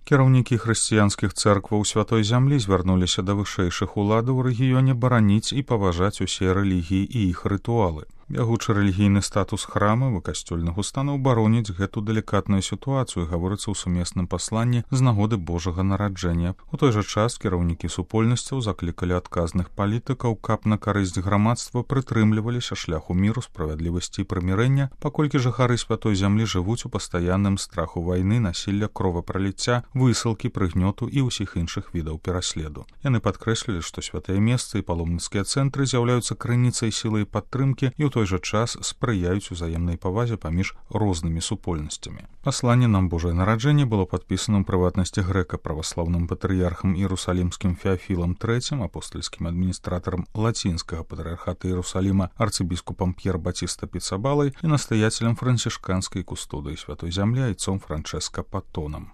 Кіраўнікі хрысціянскіх цэркваў святой зямлі звярнуліся да вышэйшых уладаў у рэгіёне бараніць і паважаць усе рэлігіі і іх рытуалы. Бягучы рэлігійны статус храмаў і касцёльных устаноў бароніць гэту далікатную сітуацыю, гаворыцца ў сумесным пасланні з нагоды Божага нараджэння. У той жа час кіраўнікі супольнасцяў заклікалі адказных палітыкаў, каб на карысць грамадства прытрымліваліся шляху міру, справядлівасці і прымірэння, паколькі жыхары святой зямлі жывуць у пастаянным страху вайны, насілля, кровапраліцця, высылкі, прыгнёту і ўсіх іншых відаў пераследу. Яны падкрэслілі, што святыя месцы і паломніцкія цэнтры з'яўляюцца крыніцай сілы і падтрымкі і ў той жа час спрыяюць узаемнай павазе паміж рознымі супольнасцямі. Пасланне нам Божае нараджэнне было падпісана ў прыватнасці грэка-праваслаўным патрыярхам Іерусалімскім Феафілам III, апостальскім адміністратарам лацінскага патрыярхата Іерусаліма арцыбіскупам П'ер Батіста Піцабалай і настаяцелем францішканскай кустодыі святой зямлі айцом Франчэска Патонам.